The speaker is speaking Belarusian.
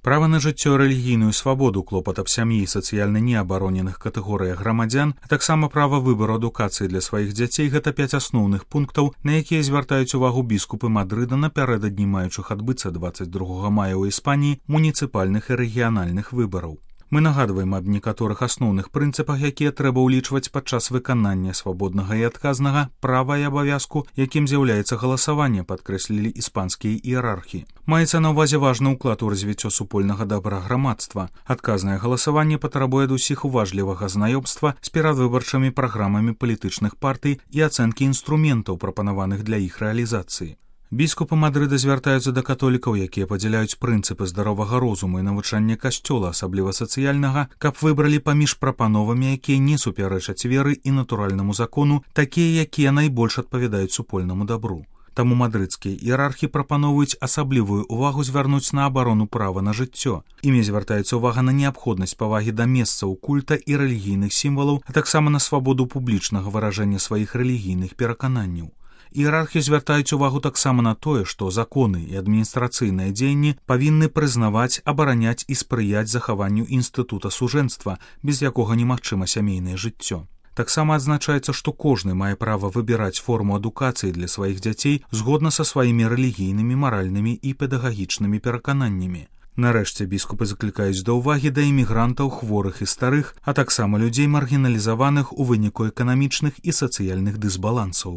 Права на жыццё, рэлігійную свабоду, клопат аб сям'і і сацыяльна неабароненых катэгорыях грамадзян, а таксама права выбару адукацыі для сваіх дзяцей – гэта 5 асноўных пунктаў, на якія звяртаюць увагу біскупы Мадрыда напярэдадні маючых адбыцца 22 мая ў Іспаніі муніцыпальных і рэгіянальных выбараў. Мы нагадваем аб некаторых асноўных прынцыпах, якія трэба ўлічваць падчас выканання свабоднага і адказнага права і абавязку, якім з'яўляецца галасаванне, падкрэслілі іспанскія іерархі. Маецца на ўвазе важны ўклад у развіццё супольнага дабра грамадства. Адказнае галасаванне патрабуе ад усіх уважлівага знаёмства з перадвыбарчымі праграмамі палітычных партый і ацэнкі інструментаў, прапанаваных для іх рэалізацыі. Біскупы Мадрыда звяртаюцца да католікаў, якія падзяляюць прынцыпы здаровага розуму і навучання касцёла, асабліва сацыяльнага, каб выбралі паміж прапановамі, якія не супярэчаць веры і натуральнаму закону, такія, якія найбольш адпавядаюць супольнаму дабру. Таму мадрыдскія іерархі прапаноўваюць асаблівую ўвагу звярнуць на абарону права на жыццё. Імі звяртаецца ўвага на неабходнасць павагі да месцаў культа і рэлігійных сімвалаў, а таксама на свабоду публічнага выражэння сваіх рэлігійных перакананняў. Іерархі звяртаюць увагу таксама на тое, што законы і адміністрацыйныя дзеянні павінны прызнаваць, абараняць і спрыяць захаванню інстытута сужэнства, без якога немагчыма сямейнае жыццё. Таксама адзначаецца, што кожны мае права выбіраць форму адукацыі для сваіх дзяцей згодна са сваімі рэлігійнымі, маральнымі і педагагічнымі перакананнямі. Нарэшце біскупы заклікаюць да ўвагі да імігрантаў, хворых і старых, а таксама людзей маргіналізаваных у выніку эканамічных і сацыяльных дысбалансаў.